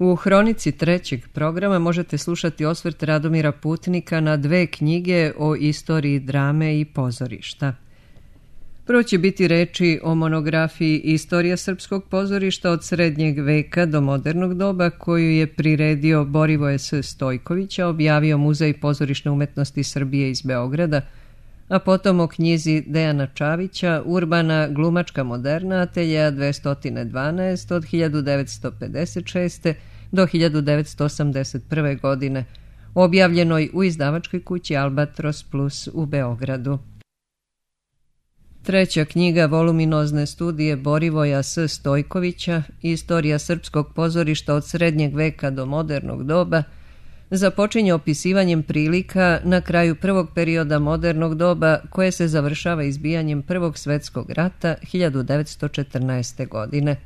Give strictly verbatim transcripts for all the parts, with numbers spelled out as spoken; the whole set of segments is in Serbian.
U hronici trećeg programa možete slušati osvrt Radomira Putnika na dve knjige o istoriji drame i pozorišta. Prvo će biti reči o monografiji Istorija srpskog pozorišta od srednjeg veka do modernog doba, koju je priredio Borivoje S. Stojkovića, objavio Muzej pozorišne umetnosti Srbije iz Beograda, a potom o knjizi Dejana Čavića Urbana glumačka moderna ateljeja dvesta dvanaest od hiljadu devetsto pedeset šeste. do hiljadu devetsto osamdeset prve. godine, objavljenoj u izdavačkoj kući Albatros Plus u Beogradu. Treća knjiga voluminozne studije Borivoja S. Stojkovića, Istorija srpskog pozorišta od srednjeg veka do modernog doba, započinje opisivanjem prilika na kraju prvog perioda modernog doba, koje se završava izbijanjem Prvog svetskog rata hiljadu devetsto četrnaeste. godine.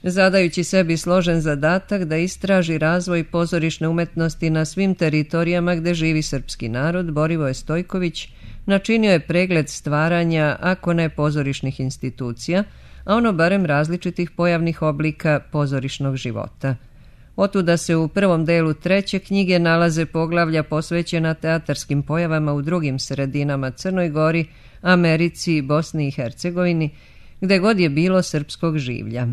Zadajući sebi složen zadatak da istraži razvoj pozorišne umetnosti na svim teritorijama gde živi srpski narod, Borivoje Stojković načinio je pregled stvaranja, ako ne pozorišnih institucija, a ono barem različitih pojavnih oblika pozorišnog života. Otuda se u prvom delu treće knjige nalaze poglavlja posvećena teatarskim pojavama u drugim sredinama Crnoj Gori, Americi, Bosni i Hercegovini, gde god je bilo srpskog življa.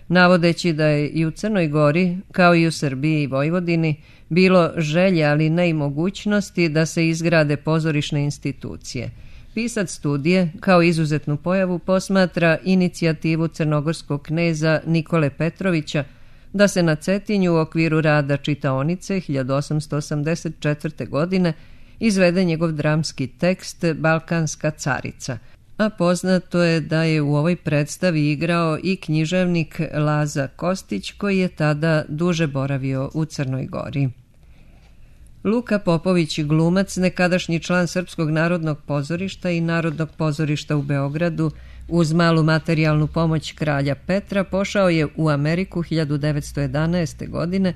Navodeći da je i u Crnoj Gori, kao i u Srbiji i Vojvodini, bilo želje, ali ne i mogućnosti da se izgrade pozorišne institucije. Pisac studije, kao izuzetnu pojavu, posmatra inicijativu crnogorskog kneza Nikole Petrovića da se na Cetinju u okviru rada čitaonice hiljadu osamsto osamdeset četvrte. godine izvede njegov dramski tekst Balkanska carica, a poznato je da je u ovoj predstavi igrao i književnik Laza Kostić, koji je tada duže boravio u Crnoj Gori. Luka Popović, glumac, nekadašnji član Srpskog narodnog pozorišta i Narodnog pozorišta u Beogradu, uz malu materijalnu pomoć kralja Petra, pošao je u Ameriku hiljadu devetsto jedanaeste. godine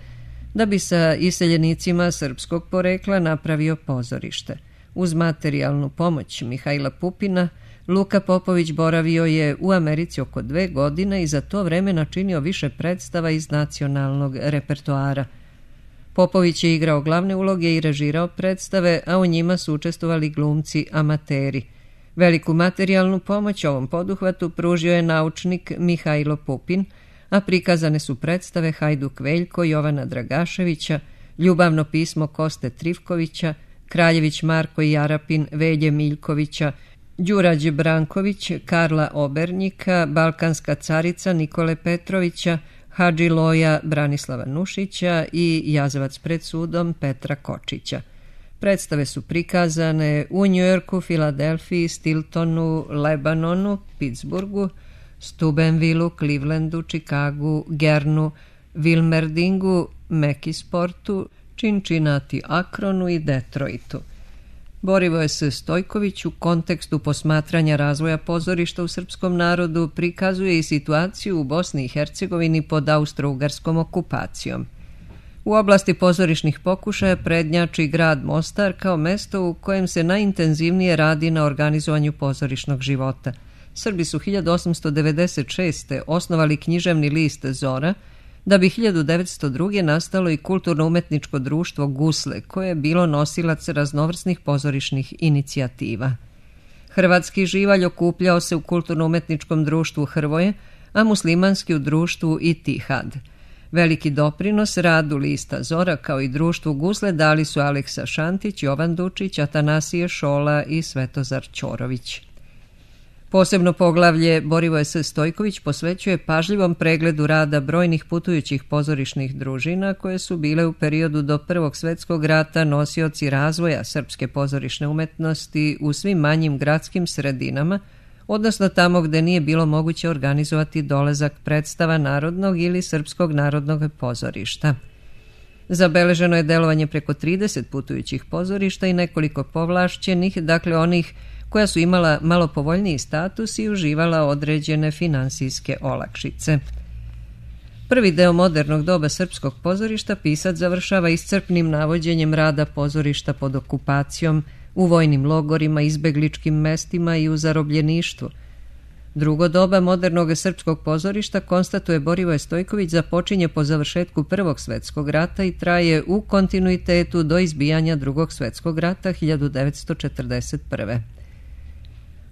da bi sa iseljenicima srpskog porekla napravio pozorište. Uz materijalnu pomoć Mihajla Pupina, Luka Popović boravio je u Americi oko dve godine i za to vreme načinio više predstava iz nacionalnog repertoara. Popović je igrao glavne uloge i režirao predstave, a u njima su učestvovali glumci amateri. Veliku materijalnu pomoć ovom poduhvatu pružio je naučnik Mihajlo Pupin, a prikazane su predstave Hajduk Veljko Jovana Dragaševića, Ljubavno pismo Koste Trivkovića, Kraljević Marko i Jarapin Velje Miljkovića, Đurađe Branković Karla Obernjika, Balkanska carica Nikole Petrovića, Hadži Loja Branislava Nušića i Jazavac pred sudom Petra Kočića. Predstave su prikazane u Njujorku, Filadelfiji, Stiltonu, Lebanonu, Pittsburghu, Steubenvillu, Clevelandu, Chicagu, Gernu, Wilmerdingu, Mekisportu, Cincinnati, Akronu i Detroitu. Borivoje S. Stojković u kontekstu posmatranja razvoja pozorišta u srpskom narodu prikazuje i situaciju u Bosni i Hercegovini pod austro-ugarskom okupacijom. U oblasti pozorišnih pokušaja prednjači grad Mostar kao mesto u kojem se najintenzivnije radi na organizovanju pozorišnog života. Srbi su hiljadu osamsto devedeset šeste. osnovali književni list Zora, da bi hiljadu devetsto druge. nastalo i kulturno-umetničko društvo Gusle, koje je bilo nosilac raznovrsnih pozorišnih inicijativa. Hrvatski živalj okupljao se u kulturno-umetničkom društvu Hrvoje, a muslimanski u društvu Itihad. Veliki doprinos radu lista Zora kao i društvu Gusle dali su Aleksa Šantić, Jovan Dučić, Atanasije Šola i Svetozar Ćorović. Posebno poglavlje Borivoje S. Stojković posvećuje pažljivom pregledu rada brojnih putujućih pozorišnih družina koje su bile u periodu do Prvog svetskog rata nosioci razvoja srpske pozorišne umetnosti u svim manjim gradskim sredinama, odnosno tamo gde nije bilo moguće organizovati dolazak predstava Narodnog ili Srpskog narodnog pozorišta. Zabeleženo je delovanje preko trideset putujućih pozorišta i nekoliko povlašćenih, dakle onih koja su imala malo povoljniji status i uživala određene finansijske olakšice. Prvi deo modernog doba srpskog pozorišta pisac završava iscrpnim navođenjem rada pozorišta pod okupacijom, u vojnim logorima, izbegličkim mestima i u zarobljeništvu. Drugo doba modernog srpskog pozorišta, konstatuje Borivoje Stojković, započinje po završetku Prvog svetskog rata i traje u kontinuitetu do izbijanja Drugog svetskog rata hiljadu devetsto četrdeset prve.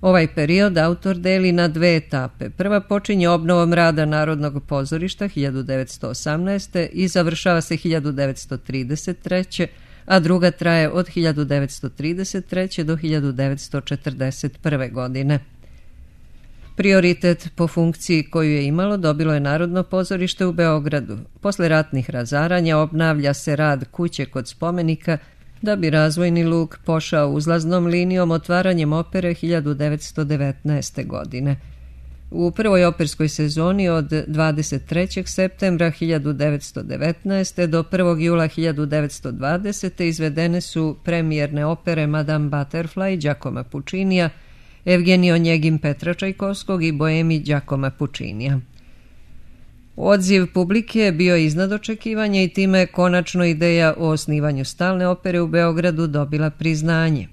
Ovaj period autor deli na dve etape. Prva počinje obnovom rada Narodnog pozorišta hiljadu devetsto osamnaeste. i završava se hiljadu devetsto trideset treće. a druga traje od hiljadu devetsto trideset treće. do hiljadu devetsto četrdeset prve. godine. Prioritet po funkciji koju je imalo dobilo je Narodno pozorište u Beogradu. Posle ratnih razaranja obnavlja se rad kuće kod spomenika, da bi razvojni luk pošao uzlaznom linijom otvaranjem opere hiljadu devetsto devetnaeste. godine. U prvoj operskoj sezoni od dvadeset trećeg septembra hiljadu devetsto devetnaeste. do prvog jula hiljadu devetsto dvadesete. izvedene su premijerne opere Madame Butterfly Giacomo Puccinija, Evgenij Onjegin Petra Čajkovskog i Boemi Giacomo Puccinija. Odziv publike je bio iznad očekivanja i time je konačno ideja o osnivanju stalne opere u Beogradu dobila priznanje.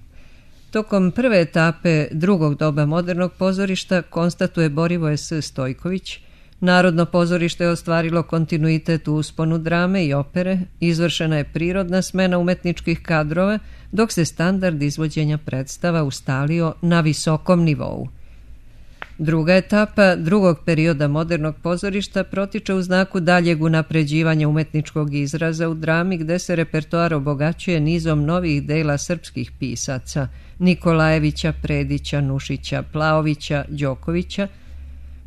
Tokom prve etape drugog doba modernog pozorišta, konstatuje Borivoje S. Stojković, Narodno pozorište je ostvarilo kontinuitet u usponu drame i opere, izvršena je prirodna smena umetničkih kadrova, dok se standard izvođenja predstava ustalio na visokom nivou. Druga etapa drugog perioda modernog pozorišta protiče u znaku daljeg unapređivanja umetničkog izraza u drami, gde se repertoar obogaćuje nizom novih dela srpskih pisaca Nikolajevića, Predića, Nušića, Plaovića, Đokovića,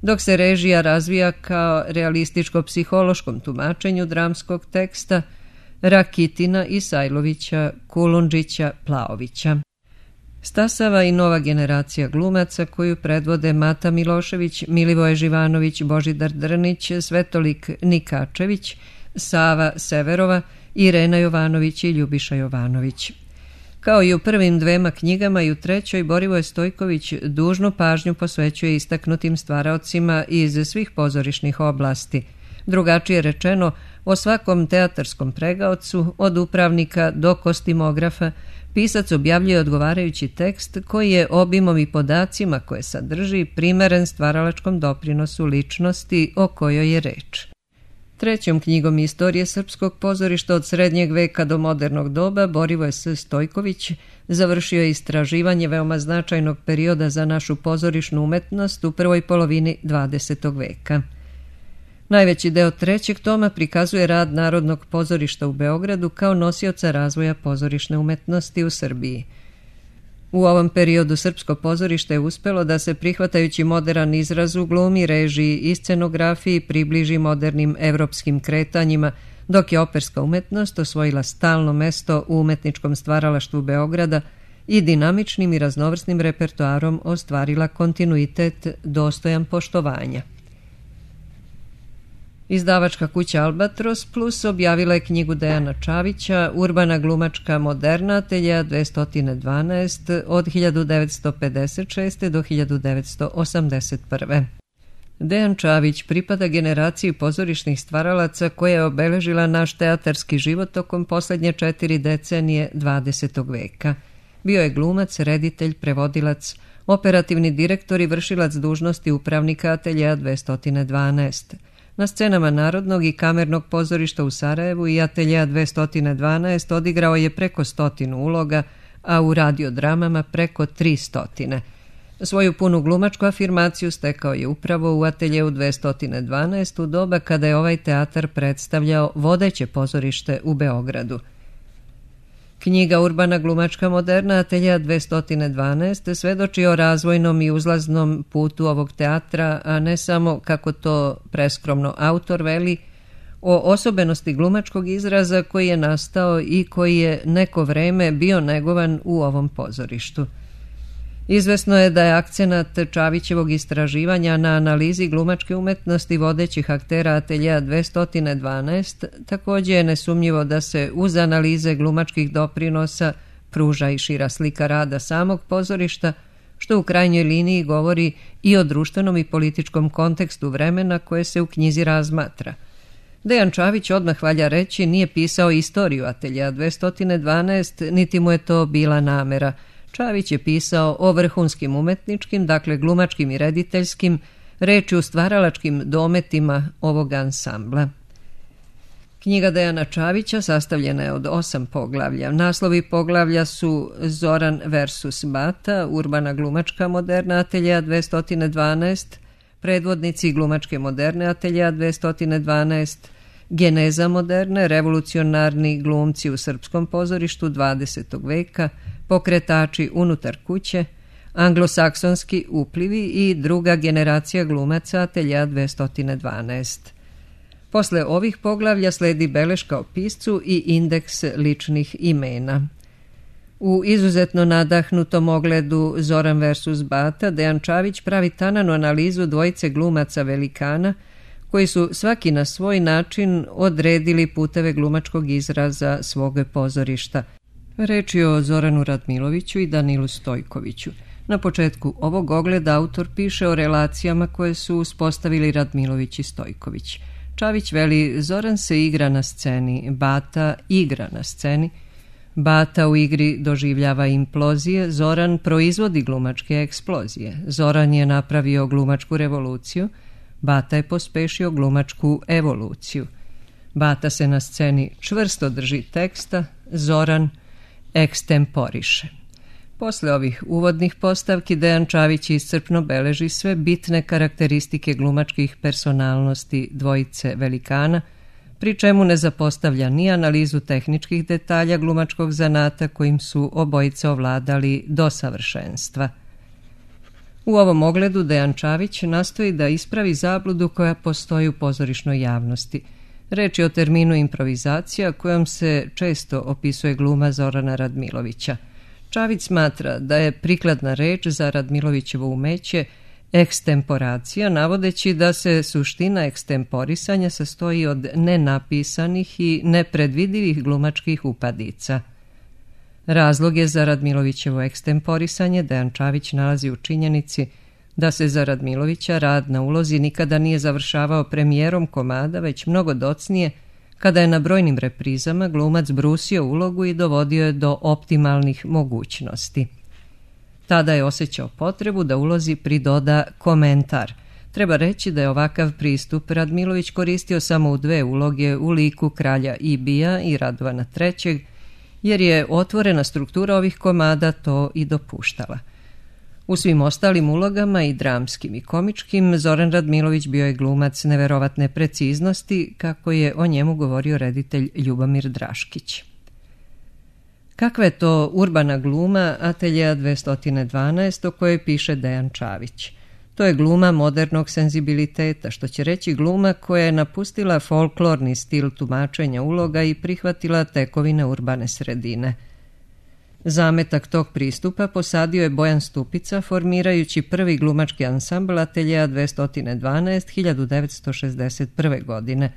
dok se režija razvija kao realističko-psihološkom tumačenju dramskog teksta Rakitina, Isajlovića, Kulundžića, Plaovića. Stasava i nova generacija glumaca koju predvode Mata Milošević, Milivoje Živanović, Božidar Drnić, Svetolik Nikačević, Sava Severova, Irena Jovanović i Ljubiša Jovanović. Kao i u prvim dvema knjigama i u trećoj, Borivoje Stojković dužnu pažnju posvećuje istaknutim stvaraocima iz svih pozorišnih oblasti. Drugačije rečeno, o svakom teatarskom pregaocu, od upravnika do kostimografa, pisac objavljuje odgovarajući tekst koji je obimom i podacima koje sadrži primeren stvaralačkom doprinosu ličnosti o kojoj je reč. Trećom knjigom istorije srpskog pozorišta od srednjeg veka do modernog doba Borivoje S. Stojković završio je istraživanje veoma značajnog perioda za našu pozorišnu umetnost u prvoj polovini dvadesetog veka. Najveći deo trećeg toma prikazuje rad Narodnog pozorišta u Beogradu kao nosioca razvoja pozorišne umetnosti u Srbiji. U ovom periodu srpsko pozorište je uspelo da se, prihvatajući moderan izraz u glumi, režiji i scenografiji, približi modernim evropskim kretanjima, dok je operska umetnost osvojila stalno mesto u umetničkom stvaralaštvu Beograda i dinamičnim i raznovrsnim repertoarom ostvarila kontinuitet dostojan poštovanja. Izdavačka kuća Albatros Plus objavila je knjigu Dejana Čavića Urbana glumačka moderna ateljea dvesta dvanaest od hiljadu devetsto pedeset šeste. do hiljadu devetsto osamdeset prve. Dejan Čavić pripada generaciji pozorišnih stvaralaca koja je obeležila naš teatarski život tokom poslednje četiri decenije dvadesetog veka. Bio je glumac, reditelj, prevodilac, operativni direktor i vršilac dužnosti upravnika ateljea dvesta dvanaest. Na scenama Narodnog i kamernog pozorišta u Sarajevu i ateljea dvesta dvanaest odigrao je preko stotinu uloga, a u radiodramama preko tri stotine. Svoju punu glumačku afirmaciju stekao je upravo u ateljeu dvesta dvanaest u doba kada je ovaj teatar predstavljao vodeće pozorište u Beogradu. Knjiga Urbana glumačka moderna ateljea dvesta dvanaest svedoči o razvojnom i uzlaznom putu ovog teatra, a ne samo, kako to preskromno autor veli, o osobenosti glumačkog izraza koji je nastao i koji je neko vreme bio negovan u ovom pozorištu. Izvesno je da je akcenat Čavićevog istraživanja na analizi glumačke umetnosti vodećih aktera ateljea dvesta dvanaest, također je nesumnjivo da se uz analize glumačkih doprinosa pruža i šira slika rada samog pozorišta, što u krajnjoj liniji govori i o društvenom i političkom kontekstu vremena koje se u knjizi razmatra. Dejan Čavić, odmah valja reći, nije pisao istoriju ateljea dvesta dvanaest, niti mu je to bila namera. Čavić je pisao o vrhunskim umetničkim, dakle glumačkim i rediteljskim, reči u stvaralačkim dometima ovog ansambla. Knjiga Dejana Čavića sastavljena je od osam poglavlja. Naslovi poglavlja su Zoran versus Bata, Urbana glumačka moderna ateljeja dvesta dvanaest, Predvodnici glumačke moderne ateljeja dvesta dvanaest, Geneza moderne, revolucionarni glumci u srpskom pozorištu dvadesetog veka, Pokretači unutar kuće, Anglosaksonski uplivi i druga generacija glumaca ateljeja dvesta dvanaest. Posle ovih poglavlja sledi beleška o piscu i indeks ličnih imena. U izuzetno nadahnutom ogledu Zoran versus Bata, Dejan Čavić pravi tananu analizu dvojice glumaca velikana koji su svaki na svoj način odredili puteve glumačkog izraza svog pozorišta. Reč je o Zoranu Radmiloviću i Danilu Stojkoviću. Na početku ovog ogleda autor piše o relacijama koje su uspostavili Radmilović i Stojković. Čavić veli, Zoran se igra na sceni, Bata igra na sceni. Bata u igri doživljava implozije, Zoran proizvodi glumačke eksplozije. Zoran je napravio glumačku revoluciju, Bata je pospešio glumačku evoluciju. Bata se na sceni čvrsto drži teksta, Zoran ekstemporiše. Posle ovih uvodnih postavki Dejan Čavić iscrpno beleži sve bitne karakteristike glumačkih personalnosti dvojice velikana, pri čemu ne zapostavlja ni analizu tehničkih detalja glumačkog zanata kojim su obojice ovladali do savršenstva. U ovom ogledu Dejan Čavić nastoji da ispravi zabludu koja postoji u pozorišnoj javnosti. Reč je o terminu improvizacija kojom se često opisuje gluma Zorana Radmilovića. Čavić smatra da je prikladna reč za Radmilovićevo umeće ekstemporacija, navodeći da se suština ekstemporisanja sastoji od nenapisanih i nepredvidivih glumačkih upadica. Razlog je za Radmilovićevo ekstemporisanje Dejan Čavić nalazi u činjenici da se za Radmilovića rad na ulozi nikada nije završavao premijerom komada, već mnogo docnije, kada je na brojnim reprizama glumac brusio ulogu i dovodio je do optimalnih mogućnosti. Tada je osjećao potrebu da ulozi pridoda komentar. Treba reći da je ovakav pristup Radmilović koristio samo u dve uloge u liku kralja Ibija i Radovana trećeg, jer je otvorena struktura ovih komada to i dopuštala. U svim ostalim ulogama, i dramskim i komičkim, Zoran Radmilović bio je glumac neverovatne preciznosti, kako je o njemu govorio reditelj Ljubomir Draškić. Kakva je to urbana gluma ateljeja dvesta dvanaest o kojoj piše Dejan Čavić? To je gluma modernog senzibiliteta, što će reći gluma koja je napustila folklorni stil tumačenja uloga i prihvatila tekovine urbane sredine. Zametak tog pristupa posadio je Bojan Stupica, formirajući prvi glumački ansambl ateljeja dvesta dvanaest hiljadu devetsto šezdeset prve. godine.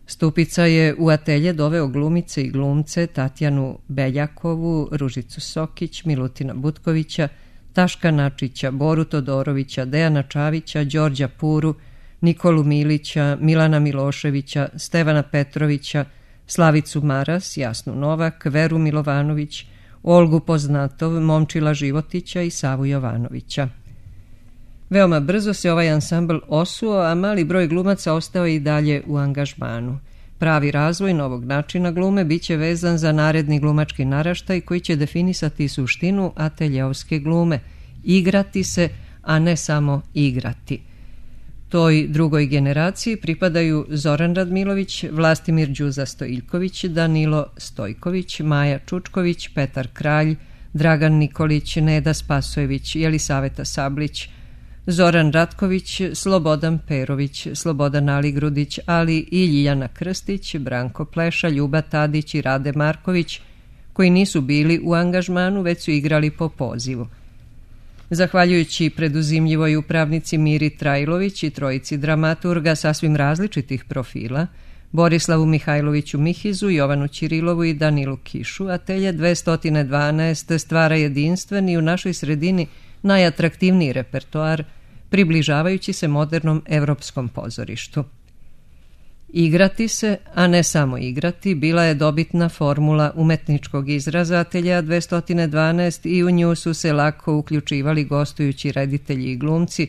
Stupica je u atelje doveo glumice i glumce Tatjanu Beljakovu, Ružicu Sokić, Milutina Butkovića, Taška Načića, Boru Todorovića, Dejana Čavića, Đorđa Puru, Nikolu Milića, Milana Miloševića, Stevana Petrovića, Slavicu Maras, Jasnu Novak, Veru Milovanović, Olgu Poznatov, Momčila Životića i Savu Jovanovića. Veoma brzo se ovaj ansambl osuo, a mali broj glumaca ostao je i dalje u angažmanu. Pravi razvoj novog načina glume biće vezan za naredni glumački naraštaj koji će definisati suštinu ateljeovske glume, igrati se, a ne samo igrati. Toj drugoj generaciji pripadaju Zoran Radmilović, Vlastimir Đuza Stojiljković, Danilo Stojković, Maja Čučković, Petar Kralj, Dragan Nikolić, Neda Spasojević, Jelisaveta Sablić, Zoran Ratković, Slobodan Perović, Slobodan Aligrudić, ali i Ljiljana Krstić, Branko Pleša, Ljuba Tadić i Rade Marković, koji nisu bili u angažmanu, već su igrali po pozivu. Zahvaljujući preduzimljivoj upravnici Miri Trajlović i trojici dramaturga sasvim različitih profila, Borislavu Mihajloviću Mihizu, Jovanu Ćirilovu i Danilu Kišu, atelje dvesta dvanaest stvara jedinstven i u našoj sredini najatraktivniji repertoar, približavajući se modernom evropskom pozorištu. Igrati se, a ne samo igrati, bila je dobitna formula umetničkog izraza Ateljea dvesta dvanaest i u nju su se lako uključivali gostujući reditelji i glumci,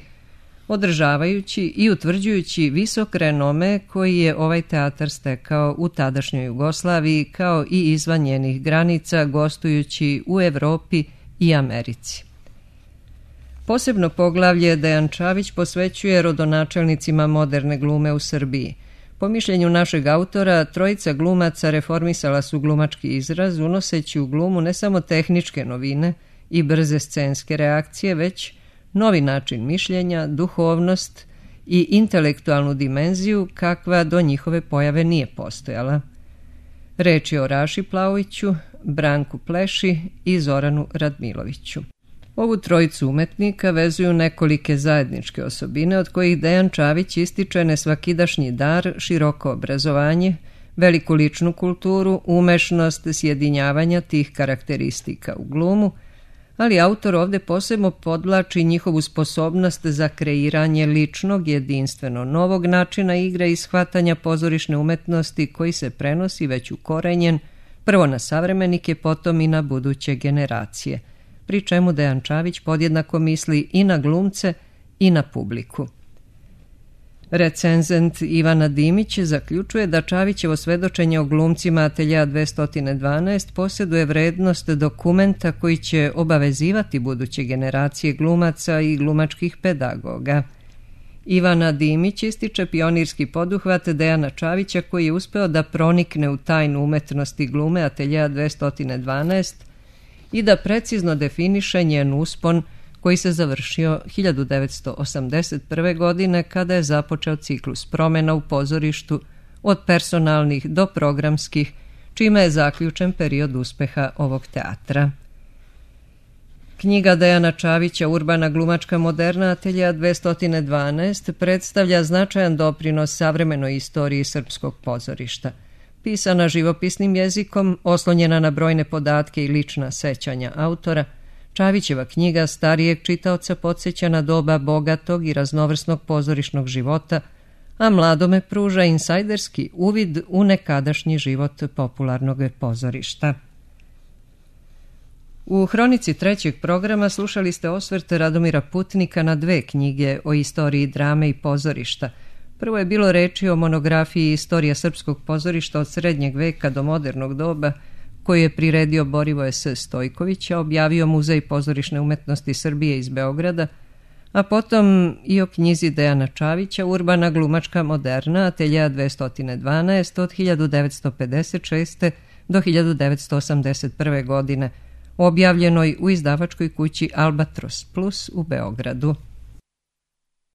održavajući i utvrđujući visok renome koji je ovaj teatar stekao u tadašnjoj Jugoslaviji kao i izvan njenih granica, gostujući u Evropi i Americi. Posebno poglavlje Dejan Čavić posvećuje rodonačelnicima moderne glume u Srbiji. Po mišljenju našeg autora, trojica glumaca reformisala su glumački izraz, unoseći u glumu ne samo tehničke novine i brze scenske reakcije, već novi način mišljenja, duhovnost i intelektualnu dimenziju kakva do njihove pojave nije postojala. Reč je o Raši Plauiću, Branku Pleši i Zoranu Radmiloviću. Ovu trojicu umetnika vezuju nekolike zajedničke osobine od kojih Dejan Čavić ističe nesvakidašnji dar, široko obrazovanje, veliku ličnu kulturu, umešnost sjedinjavanja tih karakteristika u glumu, ali autor ovde posebno podvlači njihovu sposobnost za kreiranje ličnog, jedinstveno novog načina igre i shvatanja pozorišne umetnosti koji se prenosi već ukorenjen prvo na savremenike, potom i na buduće generacije, pri čemu Dejan Čavić podjednako misli i na glumce i na publiku. Recenzent Ivana Dimić zaključuje da Čavićevo svedočenje o glumcima Ateljea dvesta dvanaest posjeduje vrednost dokumenta koji će obavezivati buduće generacije glumaca i glumačkih pedagoga. Ivana Dimić ističe pionirski poduhvat Dejana Čavića koji je uspeo da pronikne u tajnu umetnosti glume Ateljea dvesta dvanaest i da precizno definiše njen uspon koji se završio hiljadu devetsto osamdeset prve. godine kada je započeo ciklus promjena u pozorištu od personalnih do programskih, čime je zaključen period uspeha ovog teatra. Knjiga Dejana Čavića Urbana glumačka moderna Ateljea dvesta dvanaest predstavlja značajan doprinos savremenoj istoriji srpskog pozorišta. Pisana živopisnim jezikom, oslonjena na brojne podatke i lična sećanja autora, Čavićeva knjiga starijeg čitaoca podsjeća na doba bogatog i raznovrsnog pozorišnog života, a mladome pruža insajderski uvid u nekadašnji život popularnog pozorišta. U hronici trećeg programa slušali ste osvrt Radomira Putnika na dve knjige o istoriji drame i pozorišta. Prvo je bilo reči o monografiji Istorija srpskog pozorišta od srednjeg veka do modernog doba, koju je priredio Borivoje S. Stojković, a objavio Muzej pozorišne umetnosti Srbije iz Beograda, a potom i o knjizi Dejana Čavića Urbana glumačka moderna Ateljea dvesta dvanaest od hiljadu devetsto pedeset šeste. do hiljadu devetsto osamdeset prve. godine, objavljenoj u izdavačkoj kući Albatros Plus u Beogradu.